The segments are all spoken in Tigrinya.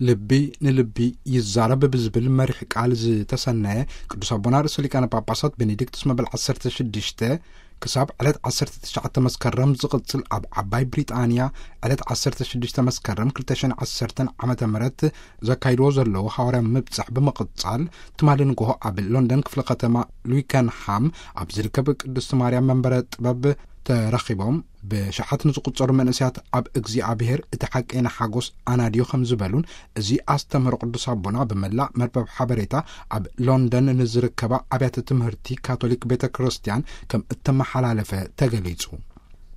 ልቢ ንልቢ ይዛረብ ብዝብል መሪሕ ቃል ዝተሰነየ ቅዱስ ኣቦና ርእሰ ሊቃነ ጳጳሳት ቤኔዲክቱስ መበል ዓሰርተ ሽዱሽተ ክሳብ ዕለት ዓሰርተ ትሽዓተ መስከረም ዝቕጽል ኣብ ዓባይ ብሪጣንያ ዕለት ዓሰርተ ሽዱሽተ መስከረም ክልተ ሽሕን ዓሰርተን ዓመተ ምህረት ዘካይድዎ ዘለዉ ሃዋርያ ምብጻሕ ብምቕጻል፣ ትማሊ ንግሆ ኣብ ሎንደን ክፍለ ከተማ ሉይከንሃም ኣብ ዝርከብ ቅድስቲ ማርያም መንበረ ጥበብ ተረኺቦም፣ ብሽሓት ንዝቑጸሩ መንእሰያት ኣብ እግዚኣብሔር እቲ ሓቀይና ሓጎስ ኣናድዮ ከም ዝበሉን፣ እዚ ኣስተምህሮ ቅዱስ ኣቦና ብመላእ መርበብ ሓበሬታ ኣብ ሎንደን ንዝርከባ ኣብያተ ትምህርቲ ካቶሊክ ቤተ ክርስቲያን ከም እተመሓላለፈ ተገሊጹ።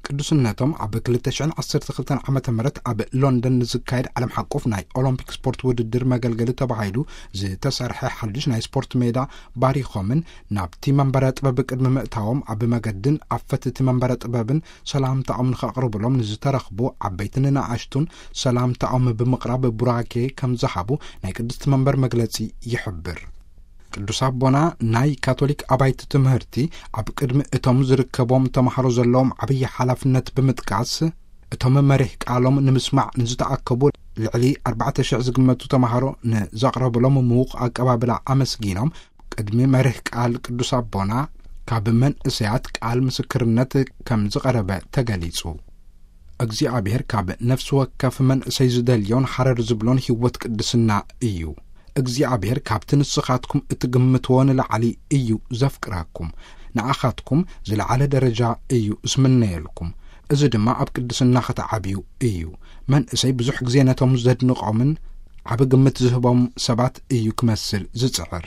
ቅዱስነቶም ኣብ ክልተ ሽሕን ዓሰርተ ክልተን ዓመተ ምህረት ኣብ ሎንደን ንዝካየድ ዓለም ሓቆፍ ናይ ኦሎምፒክ ስፖርት ውድድር መገልገሊ ተባሂሉ ዝተሰርሐ ሓድሽ ናይ ስፖርት ሜዳ ባሪኾምን፣ ናብቲ መንበረ ጥበብ ቅድሚ ምእታዎም ኣብ መገድን ኣብ ፈትቲ መንበረ ጥበብን ሰላምታኦም ንኸቕርብሎም ንዝተረኽቡ ዓበይትን ንኣሽቱን ሰላምታኦም ብምቕራብ ቡራኬ ከም ዝሃቡ ናይ ቅድስቲ መንበር መግለጺ ይሕብር። ቅዱስ ኣቦና ናይ ካቶሊክ ኣባይቲ ትምህርቲ ኣብ ቅድሚ እቶም ዝርከቦም ተማሃሮ ዘለዎም ዓብዪ ሓላፍነት ብምጥቃስ፣ እቶም መሪሕ ቃሎም ንምስማዕ ንዝተኣከቡ ልዕሊ ኣርባዕተ ሽሕ ዝግመቱ ተማሃሮ ንዘቕረብሎም ምዉቕ ኣቀባብላ ኣመስጊኖም፣ ቅድሚ መሪሕ ቃል ቅዱስ ኣቦና ካብ መንእሰያት ቃል ምስክርነት ከም ዝቐረበ ተገሊጹ። እግዚኣብሔር ካብ ነፍሲ ወከፍ መንእሰይ ዝደልዮን ሓረር ዝብሎን ህይወት ቅድስና እዩ። እግዚኣብሔር ካብቲ ንስኻትኩም እትግምትዎ ንላዕሊ እዩ ዘፍቅረኩም። ንኣኻትኩም ዝለዓለ ደረጃ እዩ ዝምነየልኩም። እዚ ድማ ኣብ ቅድስና ክትዓብዩ እዩ። መንእሰይ ብዙሕ ግዜ ነቶም ዘድንቖምን ዓቢ ግምት ዝህቦም ሰባት እዩ ክመስል ዝጽዕር።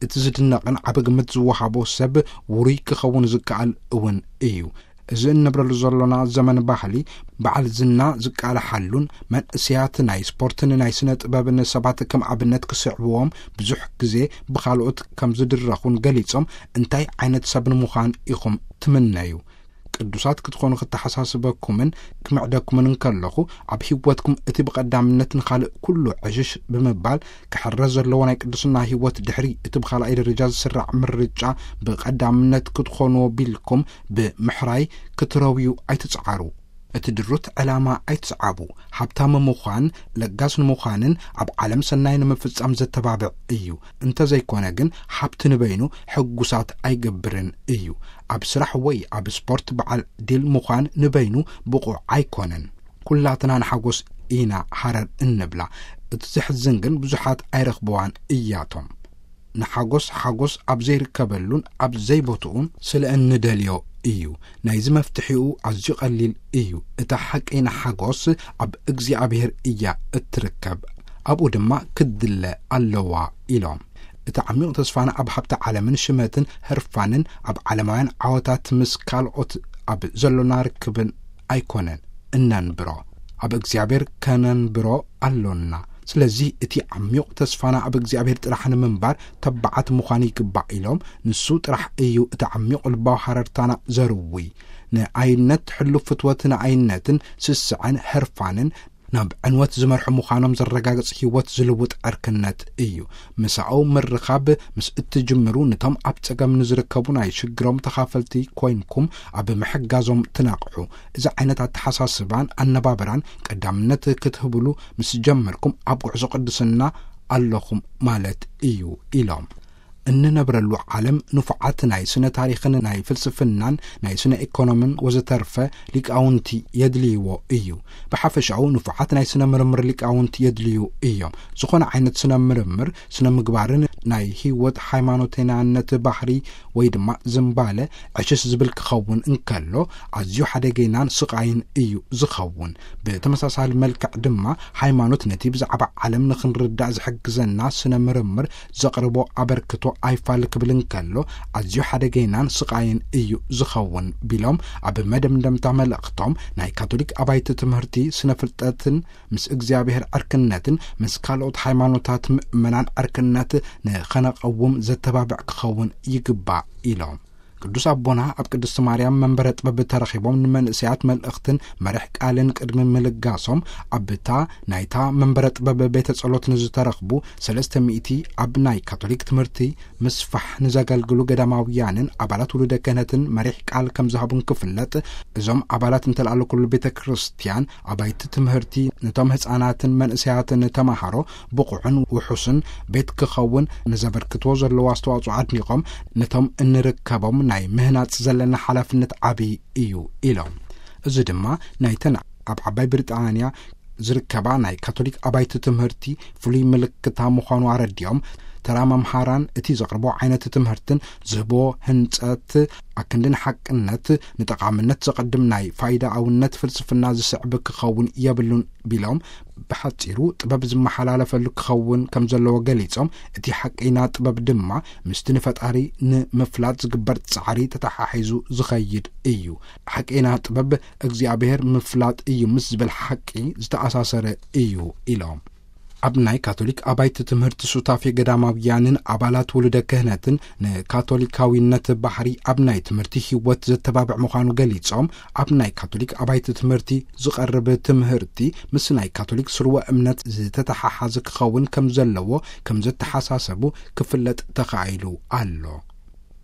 እቲ ዝድነቕን ዓቢ ግምት ዝወሃቦ ሰብ ውሩይ ክኸውን ዝከኣል እውን እዩ። እዚ እንብረሉ ዘሎና ዘመን ባህሊ በዓል ዝና ዝቃላሓሉን መንእሰያት ናይ ስፖርትን ናይ ስነ ጥበብን ሰባት ከም ኣብነት ክስዕብዎም ብዙሕ ግዜ ብኻልኦት ከም ዝድረኹን ገሊጾም፣ እንታይ ዓይነት ሰብ ንምዃን ኢኹም ትምነዩ? ቅዱሳት ክትኾኑ ክተሓሳስበኩምን ክምዕደኩምን እንከለኹ፣ ኣብ ህይወትኩም እቲ ብቐዳምነት ንኻልእ ኩሉ ዕሽሽ ብምባል ክሕረስ ዘለዎ ናይ ቅድስና ህይወት ድሕሪ እቲ ብኻልኣይ ደረጃ ዝስራዕ ምርጫ ብቐዳምነት ክትኾንዎ ቢልኩም ብምሕራይ ክትረውዩ ኣይትጽዓሩ። እቲ ድሩት ዕላማ ኣይትስዓቡ። ሃብታም ምዃን፣ ለጋስ ንምዃንን ኣብ ዓለም ሰናይ ንምፍጻም ዘተባብዕ እዩ። እንተዘይኮነ ግን፣ ሃብቲ ንበይኑ ሕጉሳት ኣይገብርን እዩ። ኣብ ስራሕ ወይ ኣብ ስፖርት በዓል ድል ምዃን ንበይኑ ብቑዕ ኣይኮነን። ኩላትና ንሓጎስ ኢና ሃረር እንብላ። እቲ ዘሕዝን ግን ብዙሓት ኣይረኽብዋን እያቶም። ንሓጎስ ሓጎስ ኣብ ዘይርከበሉን ኣብ ዘይቦትኡን ስለ እንደልዮ እዩ። ናይዚ መፍትሒኡ ኣዝዩ ቀሊል እዩ። እታ ሓቀይና ሓጎስ ኣብ እግዚኣብሔር እያ እትርከብ። ኣብኡ ድማ ክትድለ ኣለዋ ኢሎም። እቲ ዓሚቕ ተስፋና ኣብ ሃብቲ ዓለምን ሽመትን ህርፋንን ኣብ ዓለማውያን ዓወታት ምስ ካልኦት ኣብ ዘሎና ርክብን ኣይኮነን እነንብሮ፣ ኣብ እግዚኣብሔር ከነንብሮ ኣሎና። ስለዚ እቲ ዓሚቕ ተስፋና ኣብ እግዚኣብሔር ጥራሕ ንምንባር ተባዓት ምዃን ይግባእ ኢሎም፣ ንሱ ጥራሕ እዩ እቲ ዓሚቕ ልባዊ ሃረርታና ዘርዊ። ንኣይነት ሕሉፍ ፍትወት ንኣይነትን ስስዐን ህርፋንን ናብ ዕንወት ዝመርሑ ምዃኖም ዘረጋግጽ ህይወት ዝልውጥ ዕርክነት እዩ። ምሳኡ ምርኻብ ምስ እትጅምሩ፣ ነቶም ኣብ ጸገም ንዝርከቡ ናይ ሽግሮም ተኻፈልቲ ኮይንኩም ኣብ ምሕጋዞም ትነቕሑ። እዚ ዓይነት ኣተሓሳስባን ኣነባብራን ቀዳምነት ክትህብሉ ምስ ጀመርኩም፣ ኣብ ጉዕዞ ቅድስና ኣለኹም ማለት እዩ ኢሎም። እንነብረሉ ዓለም ንፉዓት ናይ ስነ ታሪኽን ናይ ፍልስፍናን ናይ ስነ ኢኮኖምን ወዘተርፈ ሊቃውንቲ የድልይዎ እዩ። ብሓፈሻኡ ንፉዓት ናይ ስነ ምርምር ሊቃውንቲ የድልዩ እዮም። ዝኾነ ዓይነት ስነ ምርምር፣ ስነ ምግባርን ናይ ህይወት ሃይማኖተኛነት ባህሪ ወይ ድማ ዝምባለ ዕሽሽ ዝብል ክኸውን እንከሎ፣ ኣዝዩ ሓደገይናን ስቓይን እዩ ዝኸውን። ብተመሳሳሊ መልክዕ ድማ፣ ሃይማኖት ነቲ ብዛዕባ ዓለም ንኽንርዳእ ዝሕግዘና ስነ ምርምር ዘቕርቦ ኣበርክቶ ኣይፋል ክብል እንከሎ፣ ኣዝዩ ሓደገይናን ስቓይን እዩ ዝኸውን ቢሎም፣ ኣብ መደምደምታ መልእኽቶም፣ ናይ ካቶሊክ ኣባይቲ ትምህርቲ ስነ ፍልጠትን ምስ እግዚኣብሔር ዕርክነትን ምስ ካልኦት ሃይማኖታት ምእመናን ዕርክነት ንኸነቐውም ዘተባብዕ ክኸውን ይግባእ ኢሎም። ቅዱስ ኣቦና ኣብ ቅድስቲ ማርያም መንበረ ጥበብ ተረኺቦም ንመንእሰያት መልእኽትን መርሕ ቃልን ቅድሚ ምልጋሶም፣ ኣብታ ናይታ መንበረ ጥበብ ቤተ ጸሎት ንዝተረኽቡ ሰለስተ ሚእቲ ኣብ ናይ ካቶሊክ ትምህርቲ ምስፋሕ ንዘገልግሉ ገዳማውያንን ኣባላት ውሉደ ክህነትን መሪሕ ቃል ከም ዝሃቡን ክፍለጥ፣ እዞም ኣባላት እንተለኣለ ኩሉ ቤተ ክርስቲያን ኣባይቲ ትምህርቲ ነቶም ህፃናትን መንእሰያትን ተማሃሮ ብቑዕን ውሑስን ቤት ክኸውን ንዘበርክትዎ ዘለዎ ኣስተዋጽኦ ኣድኒቖም፣ ነቶም እንርከቦም ናይ ምህናጽ ዘለና ሓላፍነት ዓቢ እዩ ኢሎም። እዚ ድማ ናይተን ኣብ ዓባይ ብሪጣንያ ዝርከባ ናይ ካቶሊክ ኣባይቲ ትምህርቲ ፍሉይ ምልክታ ምዃኑ ኣረዲኦም፣ ተራ መምሃራን እቲ ዘቕርቦ ዓይነት ትምህርትን ዝህቦ ህንጸት ኣክንዲ ንሓቅነት፣ ንጠቓምነት ዘቐድም ናይ ፋይዳኣውነት ፍልስፍና ዝስዕብ ክኸውን የብሉን ቢሎም፣ ብሓጺሩ ጥበብ ዝመሓላለፈሉ ክኸውን ከም ዘለዎ ገሊጾም፣ እቲ ሓቀይና ጥበብ ድማ ምስቲ ንፈጣሪ ንምፍላጥ ዝግበር ጻዕሪ ተተሓሒዙ ዝኸይድ እዩ። ሓቀይና ጥበብ እግዚኣብሔር ምፍላጥ እዩ ምስ ዝብል ሓቂ ዝተኣሳሰረ እዩ ኢሎም። ኣብ ናይ ካቶሊክ ኣባይቲ ትምህርቲ ሱታፌ ገዳማውያንን ኣባላት ውሉደ ክህነትን ንካቶሊካዊነት ባህሪ ኣብ ናይ ትምህርቲ ህይወት ዘተባብዕ ምዃኑ ገሊጾም፣ ኣብ ናይ ካቶሊክ ኣባይቲ ትምህርቲ ዝቐርብ ትምህርቲ ምስ ናይ ካቶሊክ ስርወ እምነት ዝተተሓሓዘ ክኸውን ከም ዘለዎ ከም ዘተሓሳሰቡ ክፍለጥ ተኻኢሉ ኣሎ።